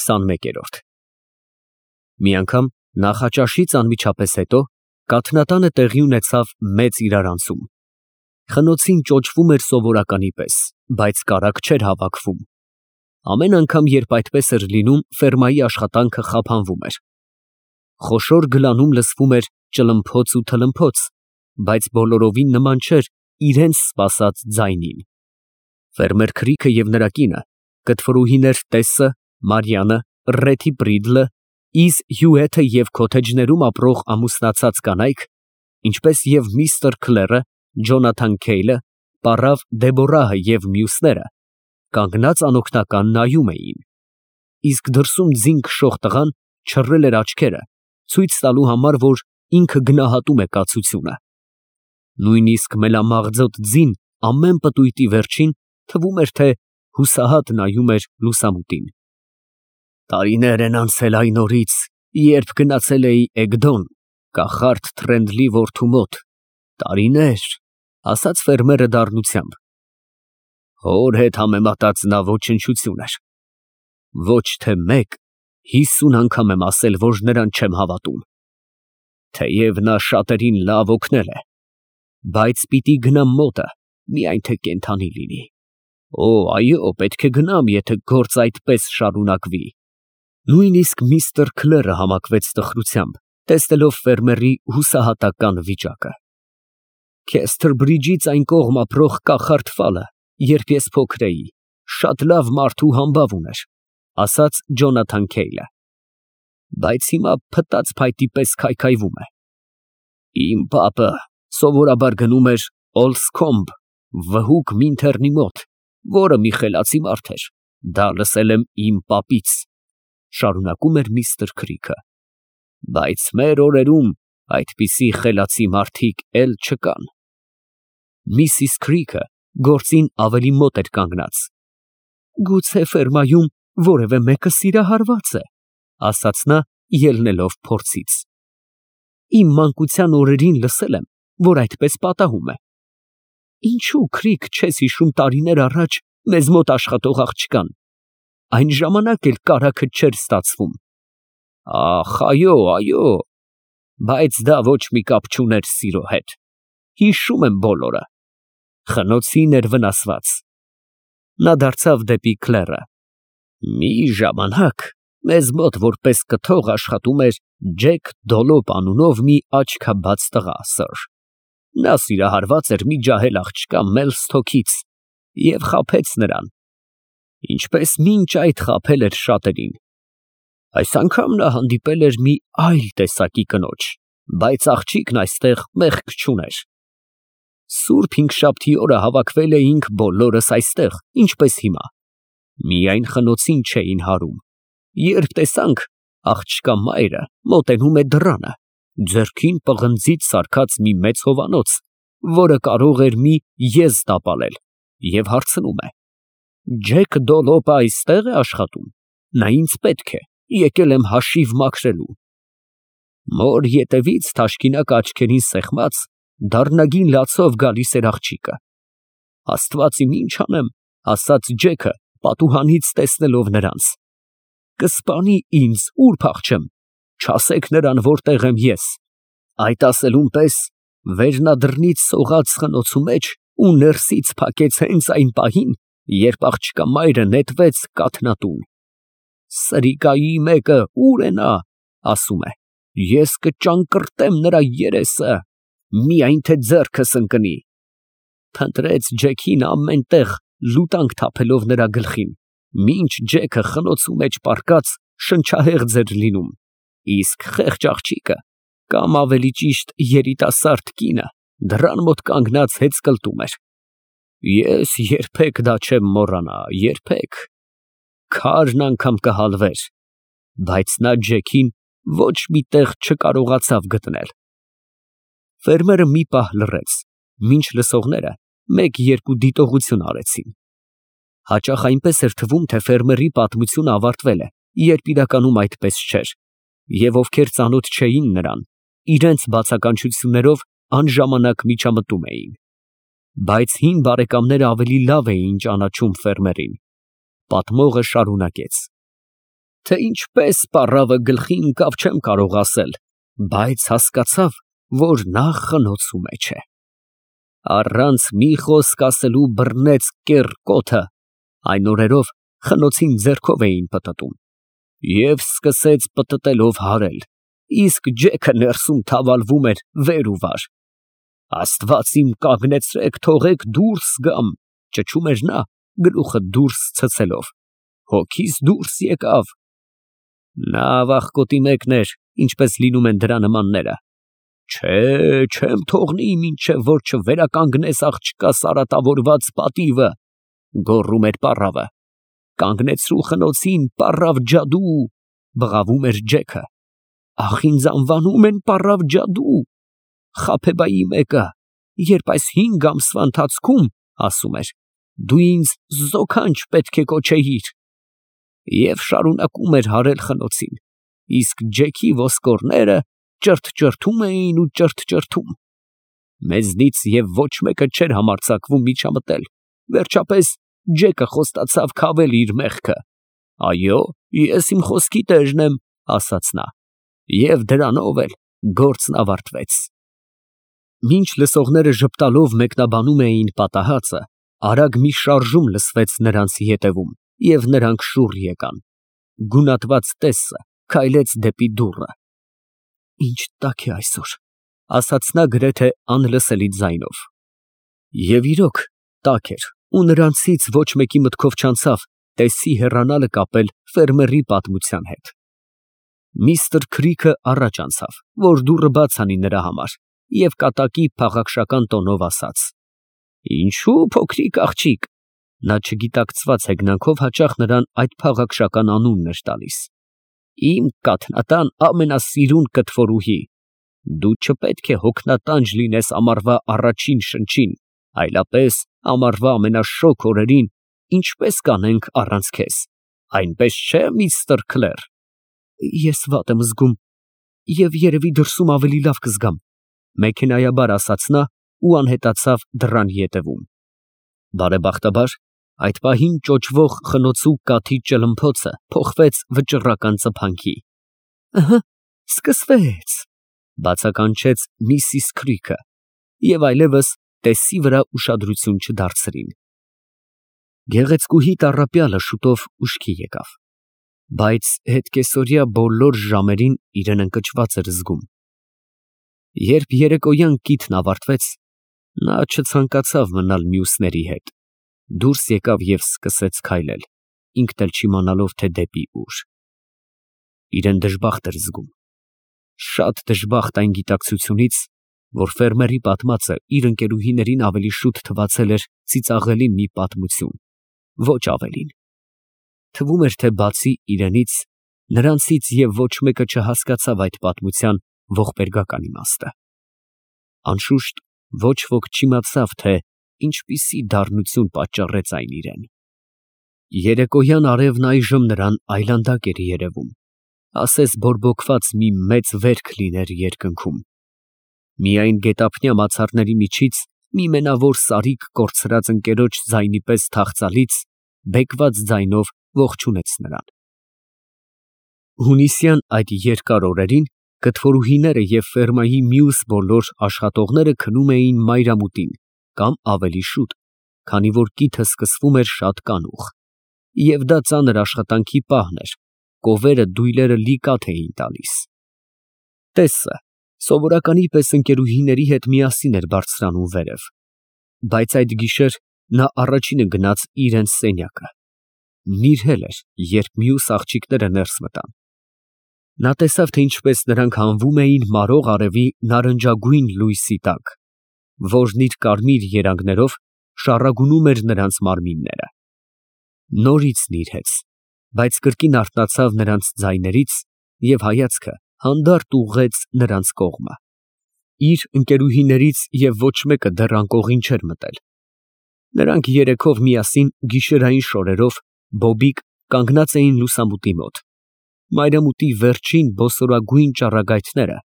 21-րդ Մի անգամ նախաճաշից անմիջապես հետո Կաթնատանը տեղի ունեցավ մեծ իրարանցում։ Խնոցին ճոճվում էր սովորականի պես, բայց կարագ չէր հավաքվում։ Ամեն անգամ, երբ այդպես էր լինում, ֆերմայի աշխատանքը խափանվում էր։ Խոշոր գլանում լսվում էր ճլմփոց ու թլմփոց, բայց բոլորովին նման չէր իրենց սպասած ձայնին։ Ֆերմեր Քրիքը և նրա կինը, կտվրուհիներ Տեսսը, Մարիանը, Ռեթի Պրիդլը, Իզ Հյուեթը և քոթեջներում ապրող ամուսնացած կանայք, ինչպես և միստր Քլերը, Ջոնաթան Քեյլը, պառավ Դեբորահը և մյուսները, կանգնած անօգնական նայում էին։ Իսկ դրսում ձին քշող տղան չռել էր աչքերը, ցույց տալու համար, որ ինքը գնահատում է կացությունը։ Նույնիսկ մելամաղձոտ ձին ամեն պտույտի վերջին թվում էր, թե հուսահատ նայում էր լուսամուտին։ Տարիներ են անցել այն օրից, երբ գնացել էի Էգդոն, կախարդ Թրենդլի որդու մոտ, տարիներ, ասաց ֆերմերը դառնությամբ։ Հոր հետ համեմատած նա ոչնչություն էր։ Ոչ թե մեկ, 50 անգամ եմ ասել, որ նրան չեմ հավատում։ Թեև նա շատերին լավ օգնել է, բայց պիտի գնամ մոտը, միայն թե կենդանի լինի։ Օ, այո, պետք է գնամ, եթե գործ այդպես շարունակվի։ Նույնիսկ միստր Քլերը համակվեց տխրությամբ, տեսնելով ֆերմերի հուսահատական վիճակը։ Քեսթրբրիջից այն կողմ ապրող կախարդ Ֆալը, երբ ես փոքր էի, շատ լավ մարդ ու համբավ ուներ, ասաց Ջոնաթան Քեյլը, բայց հիմա փտած փայտի պես քայքայվում է։ Իմ պապը սովորաբար գնում էր Օլսքոմբ, վհուկ Մինթերնի մոտ, որը մի խելացի մարդ էր, դա լսել եմ իմ պապից, շարունակում էր միստր Քրիքը, բայց մեր օրերում այդպիսի խելացի մարդիկ էլ չկան։ Միսիս Քրիքը գործին ավելի մոտ էր կանգնած։ Գուցե ֆերմայում որևէ մեկը սիրահարված է, ասաց նա, ելնելով փորձից։ Իմ մանկության օրերին լսել եմ, որ այդպես պատահում է։ Ինչու, Քրիք, չես հիշում տարիներ առաջ մեզ մոտ աշխատող աղջկան։ Այն ժամանակ էլ կարագը չէր ստացվում։ Ախ, այո, այո, բայց դա ոչ մի կապ չուներ սիրո հետ։ Հիշում եմ բոլորը։ Խնոցին էր վնասված։ Նա դարձավ դեպի Քլերը։ Մի ժամանակ մեզ մոտ որպես կթող աշխատում էր Ջեք Դոլոպ անունով մի աչքաբաց տղա, սըր։ Նա սիրահարված էր մի ջահել աղջկա Մելսթոքից և խաբեց նրան, ինչպես մինչ այդ խաբել էր շատերին։ Այս անգամ նա հանդիպել էր մի այլ տեսակի կնոջ, բայց աղջիկն այստեղ մեղք չուներ։ Սուրբ Հինգշաբթի օրը հավաքվել էինք բոլորս այստեղ, ինչպես հիմա։ Միայն խնոցին չէին հարում։ Երբ տեսանք, աղջկա մայրը մոտենում է դռանը, ձեռքին պղնձից սարքած մի մեծ հովանոց, որը կարող էր մի եզ տապալել, և հարցնում է. Ջեք Դոլոպը այստեղ է աշխատում։ Նա ինձ պետք է, եկել եմ հաշիվ մաքրելու։ Մոր ետևից թաշկինակ աչքերին սեղմած, դառնագին լացով գալիս էր աղջիկը։ Աստված իմ ինչ անեմ, ասաց Ջեքը, պատուհանից տեսնելով նրանց։ Կսպանի ինձ, ուր փախչեմ, չասեք նրան, որտեղ եմ ես։ Այդ ասելուն պես վերնադրնից սողաց խնոցու մեջ ու ներսից փակեց հենց այն պահին, երբ աղջկա մայրը նետվեց կաթնատուն։ Սրիկայի մեկը ուր է նա, ասում է, ես կճանկռտեմ նրա երեսը, միայն թե ձեռքս ընկնի։ Փնտրեց Ջեքին ամեն տեղ, լուտանք թափելով նրա գլխին, մինչ Ջեքը խնոցու մեջ պառկած շնչահեղձ էր լինում, իսկ խեղճ աղջիկը, կամ ավելի ճիշտ երիտասարդ կինը, դռան մոտ կանգնած հեծկլտում էր։ Ես երբեք դա չեմ մոռանա, երբեք։ Քարն անգամ կհալվեր, բայց նա Ջեքին ոչ մի տեղ չկարողացավ գտնել։ Ֆերմերը մի պահ լռեց, մինչ լսողները մեկ-երկու դիտողություն արեցին։ Հաճախ այնպես էր թվում, թե ֆերմերի պատմությունը ավարտվել է, երբ իրականում այդպես չէր, և ովքեր ծանոթ չէին նրան, իրենց բացականչություններով անժամանակ միջամտում էին։ Բայց հին բարեկամները ավելի լավ էին ճանաչում ֆերմերին։ Պատմողը շարունակեց. Թե ինչպես պառավը գլխի ընկավ չեմ կարող ասել, բայց հասկացավ, որ նա խնոցու մեջ է։ Առանց մի խոսք ասելու բռնեց կեռ կոթը, այն օրերով խնոցին ձեռքով էին պտտում, և սկսեց պտտելով հարել, իսկ ջեքը ներսում թավալվում էր վեր ու վար։ Աստված իմ կանգնեցրեք, թողեք դուրս գամ, ճչում էր նա, գլուխը դուրս ցցելով, հոգիս դուրս եկավ։ Նա աղախկոտի մեկն էր, ինչպես լինում են դրա նմանները։ Չէ, չեմ թողնի, մինչև որ չվերականգնես աղջկա սարատավորված պատիվը, գոռում էր պառավը։ Կանգնեցրու խնոցին, պառավ ջադու, բղավում էր ջեքը։ Ախ, ինձ անվանում են պառավ ջադու։ Խաբեբայի մեկը, երբ այս 5 ամսվա ընթացքում, ասում էր, դու ինձ զոքանչ պետք է կոչեիր։ Եվ շարունակում էր հարել խնոցին, իսկ ջեքի ոսկորները ճրթճրթում էին ու ճրթճրթում։ Մեզնից և ոչ մեկը չէր համարձակվում միջամտել, վերջապես ջեկը խոստացավ քավել իր մեղքը։ Այո, ես իմ խոսքի տերն եմ, ասաց նա, և դրանով էլ գործն ավարտվեց։ Մինչ լսողները ժպտալով մեկնաբանում էին պատահածը, արագ մի շարժում լսվեց նրանց ետևում, և նրանք շուռ եկան։ Գունատված տեսը քայլեց դեպի դուռը։ Ինչ տաք է այսօր, ասաց նա գրեթե անլսելի ձայնով։ Եվ իրոք տաք էր, ու նրանցից ոչ մեկի մտքով չանցավ տեսի հեռանալը կապել ֆերմերի պատմության հետ։ Միստր Քրիքը առաջ անցավ, որ դուռը բաց անի նրա համար, և կատակի փաղաքշական տոնով ասաց. Ինչու փոքրիկ աղջիկ։ Նա չգիտակցված հեգնանքով հաճախ նրան այդ փաղաքշական անունն էր տալիս։ Իմ կաթնատան ամենասիրուն կտվորուհի, դու չպետք է հոգնատանջ լինես ամառվա առաջին շնչին, այլապես ամառվա ամենաշոգ օրերին ինչպես կանենք առանց քեզ, այնպես չէ, միստր Քլեր։ Ես վատ եմ զգում և երևի դրսում ավելի լավ կզգամ, մեքենայաբար ասաց նա ու անհետացավ դռան ետևում։ Բարեբախտաբար այդ պահին ճոճվող խնոցու կաթի ճլմփոցը փոխվեց վճռական ծփանքի։ Ըհը, սկսվեց, բացականչեց միսիս Քրիքը, և այլևս տեսի վրա ուշադրություն չդարձրին։ Գեղեցկուհի տառապյալը շուտով ուշքի եկավ, բայց հետկեսօրյա բոլոր ժամերին իրեն ընկճված էր զգում։ Երբ երեկոյան կիթն ավարտվեց, նա չցանկացավ մնալ մյուսների հետ, դուրս եկավ և սկսեց քայլել, ինքն էլ չիմանալով, թե դեպի ուր։ Իրեն դժբախտ էր զգում, շատ դժբախտ այն գիտակցությունից, որ ֆերմերի պատմածը իր ընկերուհիներին ավելի շուտ թվացել էր ծիծաղելի մի պատմություն, ոչ ավելին։ Թվում էր, թե բացի իրենից, նրանցից և ոչ մեկը չհասկացավ այդ պատմության ողբերգական իմաստը։ Անշուշտ, ոչ ոք չիմացավ, թե ինչպիսի դառնություն պատճառեց այն իրեն։ Երեկոյան արևն այժմ նրան այլանդակ էր երևում, ասես բորբոքված մի մեծ վերք լիներ երկնքում։ Միայն գետափնյա մացառների միջից մի մենավոր սարիկ կորցրած ընկերոջ ձայնի պես թախծալից բեկված ձայնով ողջունեց նրան։ Հունիսյան այդ երկար օրերին կտվորուհիները և ֆերմայի մյուս բոլոր աշխատողները քնում էին մայրամուտին կամ ավելի շուտ, քանի որ կիթը սկսվում էր շատ կանուխ, և դա ծանր աշխատանքի պահն էր, կովերը դույլերը լի կաթ էին տալիս։ Տեսը սովորականի պես ընկերուհիների հետ միասին էր բարձրանում վերև, բայց այդ գիշեր նա առաջինը գնաց իրենց սենյակը։ Նիրհել էր, երբ մյուս աղջիկները ներս մտան։ Նա տեսավ, թե ինչպես նրանք հանվում էին մարող արևի նարնջագույն լույսի տակ, որն իր կարմիր երանգներով շառագունում էր նրանց մարմինները։ Նորից նիրհեց, բայց կրկին արթնացավ նրանց ձայներից և հայացքը հանդարտ ուղղեց նրանց կողմը։ Իր ընկերուհիներից և ոչ մեկը դեռ անկողին չէր մտել։ Նրանք երեքով միասին գիշերային շորերով բոբիկ կանգնած էին լուսամուտի մոտ։ Մայրամուտի վերջին բոսորագույն ճառագայթները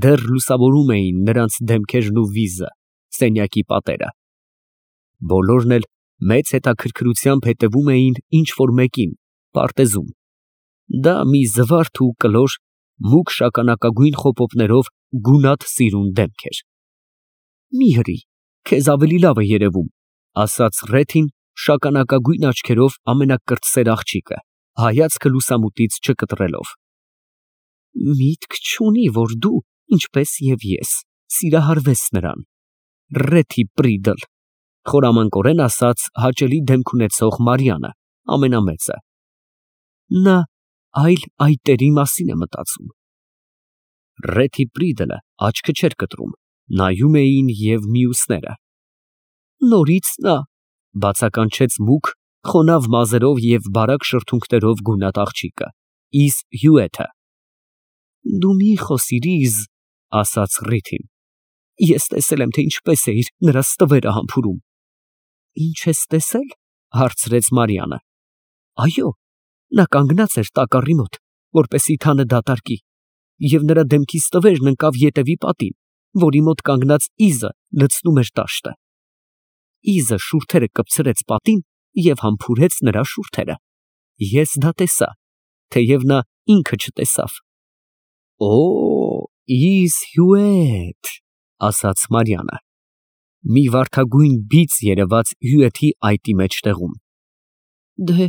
դեռ լուսավորում էին նրանց դեմքերն ու վիզը, սենյակի պատերը։ Բոլորն էլ մեծ հետաքրքրությամբ հետևում էին ինչ֊որ մեկին, պարտեզում։ Դա մի զվարթ ու կլոր, մուգ շագանակագույն խոպոպներով գունատ սիրուն դեմք էր։ Մի հրի, քեզ ավելի լավ է երևում, ասաց Ռեթին շագանակագույն աչքերով ամենակրտսեր աղջիկը, հայացքը լուսամուտից չկտրելով։ Միտք չունի, որ դու, ինչպես և ես, սիրահարվես նրան, Ռեթի Պրիդլ, խորամանկորեն ասաց հաճելի դեմք ունեցող Մարիանը, ամենամեծը։ Նա այլ այտերի մասին է մտածում։ Ռեթի Պրիդլը աչքը չէր կտրում, նայում էին և մյուսները։ Նորից նա, բացականչեց մուգ, խոնավ մազերով և բարակ շրթունքներով գունատ աղջիկը, Իզ Հյուեթը։ Դու մի խոսիր, Իզ, ասաց Ռիթին։ Ես տեսել եմ, թե ինչպես էիր նրա ստվերը համբուրում։ Ինչ ես տեսել, հարցրեց Մարիանը։ Այո, նա կանգնած էր տակառի մոտ, որպեսզի թանը դատարկի, և նրա դեմքի ստվերն ընկավ ետևի պատին, որի մոտ կանգնած Իզը լցնում էր տաշտը։ Իզը շուրթերը կպցրեց պատին և համբուրեց նրա շուրթերը։ Ես դա տեսա, թեև նա ինքը չտեսավ։ Օ, Իզ Հյուեթ, ասաց Մարիանը։ Մի վարդագույն բիծ երևաց Հյուեթի այտի մեջտեղում։ Դե,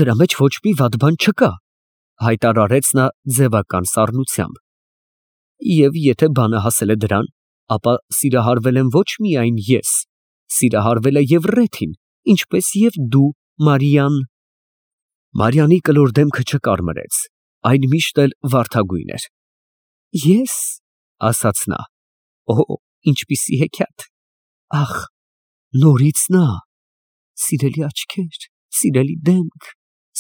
դրա մեջ ոչ մի վատ բան չկա, հայտարարեց նա ձևական սառնությամբ։ Եվ եթե բանը հասել է դրան, ապա սիրահարվել եմ ոչ միայն ես, սիրահարվել է և Ռեթին, ինչպես և դու, Մարիան։ Մարիանի կլոր դեմքը չկարմրեց, այն միշտ էլ վարդագույն էր։ Ես, ասաց նա, օ, ինչպիսի հեքիաթ, ախ, նորից նա, սիրելի աչքեր, սիրելի դեմք,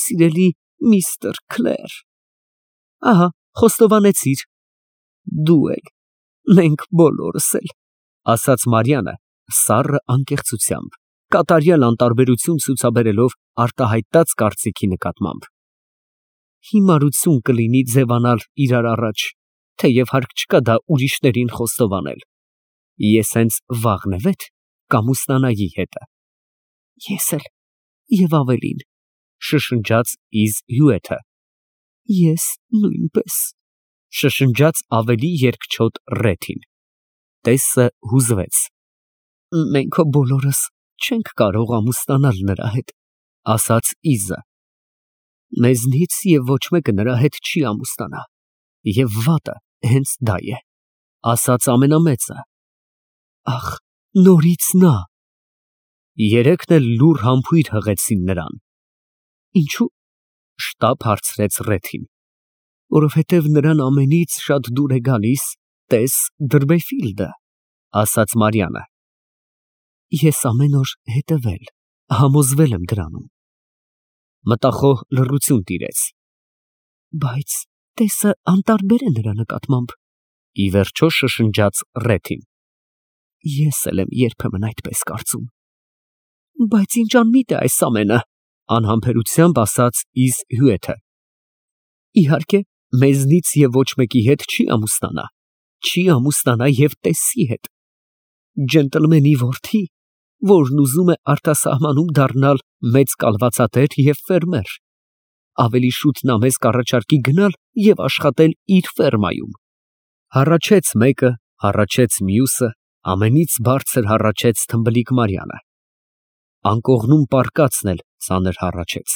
սիրելի միստր Քլեր։ Ահա, խոստովանեցիր։ Դու էլ, մենք բոլորս էլ, ասաց Մարիանը սառը անկեղծությամբ, կատարյալ անտարբերություն ցուցաբերելով արտահայտած կարծիքի նկատմամբ։ Հիմարություն կլինի ձևանալ իրար առաջ, թեև հարկ չկա դա ուրիշներին խոստովանել։ Ես հենց վաղնևեթ կամուսնանայի հետը։ Ես էլ, և ավելին, շշնջաց Իզ Հյուեթը։ Ես նույնպես, շշնջաց ավելի երկչոտ Ռեթին։ Տեսը հուզվեց։ Մենք բոլորս չենք կարող ամուսնանալ նրա հետ, ասաց Իզը։ Մեզնից և ոչ մեկը նրա հետ չի ամուսնանա, և վատը հենց դա է, ասաց ամենամեծը։ Ախ, նորից նա։ Երեքն էլ լուռ համբույր հղեցին նրան։ Ինչու՞, շտապ հարցրեց Ռեթին։ Որովհետև նրան ամենից շատ դուր է գալիս, տես Դրբեֆիլդը, ասաց Մարիանը։ Ես ամեն օր հետևել, համոզվել եմ դրանում։ Մտախոհ լռություն տիրեց։ Բայց տեսը անտարբեր է նրա նկատմամբ, ի վերջո շշնջաց Ռեթին։ Ես էլ եմ երբեմն այդպես կարծում։ Բայց ինչ անմիտ է այս ամենը, անհամբերությամբ ասաց Իզ Հյուեթը։ Իհարկե, մեզնից և ոչ մեկի հետ չի ամուսնանա և տեսի հետ։ Ջենտլմենի որդի, որն ուզում է արտասահմանում դառնալ մեծ կալվածատեր և ֆերմեր։ Ավելի շուտ նա մեզ կառաջարկի գնալ և աշխատել իր ֆերմայում։ Հառաչեց մեկը, հառաչեց մյուսը, ամենից բարձր հառաչեց թմբլիկ Մարիանը։ Անկողնում պառկածն էլ ծանր հառաչեց։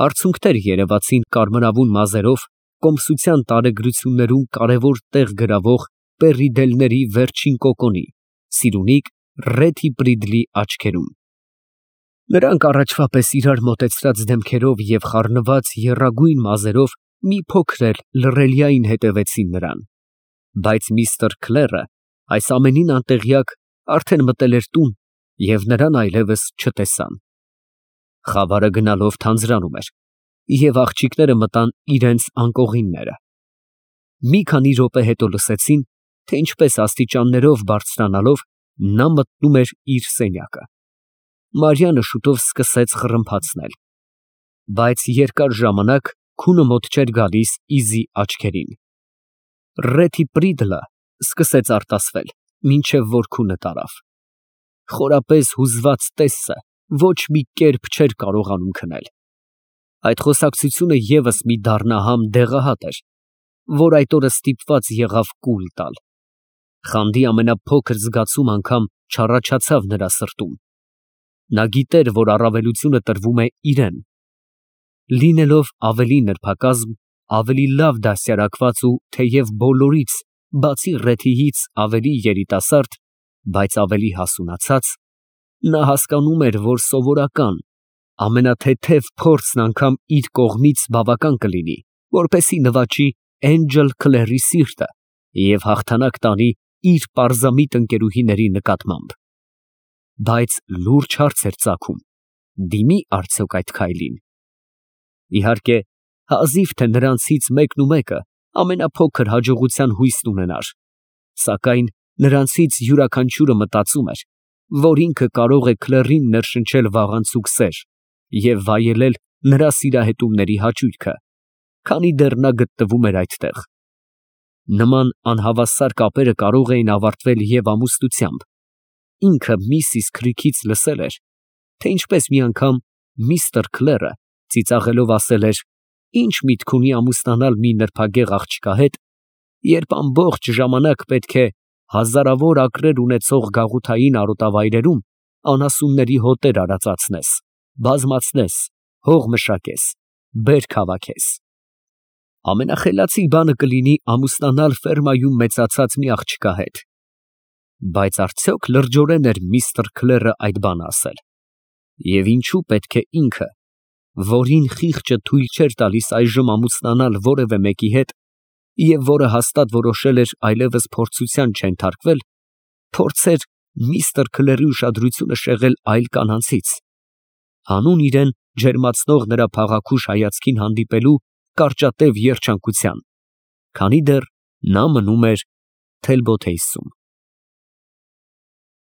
Արցունքներ երևացին կարմրավուն մազերով, կոմսության տարեգրություններում կարևոր տեղ գրավող Պերիդելների վերջին կոկոնի, սիրունիկ Ռեթի Պրիդլի աչքերում։ Նրանք առաջվա պես իրար մոտեցրած դեմքերով և խառնված եռագույն մազերով մի փոքր էլ լռելիային հետևեցին նրան։ Բայց միստր Քլերը, այս ամենին անտեղյակ, արդեն մտել էր տուն և նրան այլևս չտեսան։ Խավարը գնալով թանձրանում էր, և աղջիկները մտան իրենց անկողինները։ Մի քանի րոպե հետո լսեցին, թե ինչպես աստիճաններով բարձրանալով նա մտնում էր իր սենյակը։ Մարիանը շուտով սկսեց խռմփացնել, բայց երկար ժամանակ քունը մոտ չէր գալիս Իզի աչքերին։ Ռեթի Պրիդլը սկսեց արտասվել, մինչև որ քունը տարավ։ Խորապես հուզված տեսը ոչ մի կերպ չէր կարողանում քնել։ Այդ խոսակցությունը ևս մի դառնահամ դեղահատ էր, որ այդ օրը ստիպված եղավ կուլ տալ։ Խանդի ամենափոքր զգացում անգամ չառաջացավ նրա սրտում։ Նա գիտեր, որ առավելությունը տրվում է իրան։ Լինելով ավելի նրբակազմ, ավելի լավ դաստիարակված ու թեև բոլորից, բացի Ռեթիից ավելի երիտասարդ, բայց ավելի հասունացած, նա հասկանում էր, որ սովորական, ամենաթեթև փորձն անգամ իր կողմից բավական կլինի, որպեսզի նվաճի Էնջել Քլերի սիրտը և հաղթանակ տանի իր պարզամիտ ընկերուհիների նկատմամբ։ Բայց լուրջ հարց էր ծագում. դիմի արդյոք այդ քայլին։ Իհարկե, հազիվ թե նրանցից մեկը ամենափոքր հաջողության հույսն ունենար, սակայն նրանցից յուրաքանչյուրը մտածում էր, որ ինքը կարող է Քլերին ներշնչել վաղանցուկ սեր և վայելել նրա սիրահետումների հաճույքը, քանի դեռ նա գտնվում էր այդտեղ։ Նման անհավասար կապերը կարող էին ավարտվել և ամուսնությամբ։ Ինքը Միսիս Քրիքից լսել էր, թե ինչպես մի անգամ միստր Քլերը ծիծաղելով ասել էր. «Ինչ միտք ունի ամուսնանալ մի նրբագեղ աղջկա հետ, երբ ամբողջ ժամանակ պետք է հազարավոր ակրեր ունեցող գաղութային արոտավայրերում անասունների հոտեր արածացնես, բազմացնես, հող մշակես, բերք հավաքես։ Ամենախելացի բանը կլինի ամուսնանալ ֆերմայում մեծացած մի աղջկա հետ»։ Բայց արդյոք լրջորեն էր միստր Քլերը այդ բանը ասել։ Եվ ինչու պետք է ինքը, որին խիղճը թույլ չէր տալիս այժմ ամուսնանալ որևէ մեկի հետ, և որը հաստատ որոշել էր այլևս փորձության չենթարկվել, փորձեր միստր Քլերի ուշադրությունը շեղել այլ կանանցից, հանուն իրան ջերմացնող նրա փաղաքուշ հայացքին հանդիպելու կարճատև երջանկության, քանի դեռ նա մնում էր Թելբոթեյսում։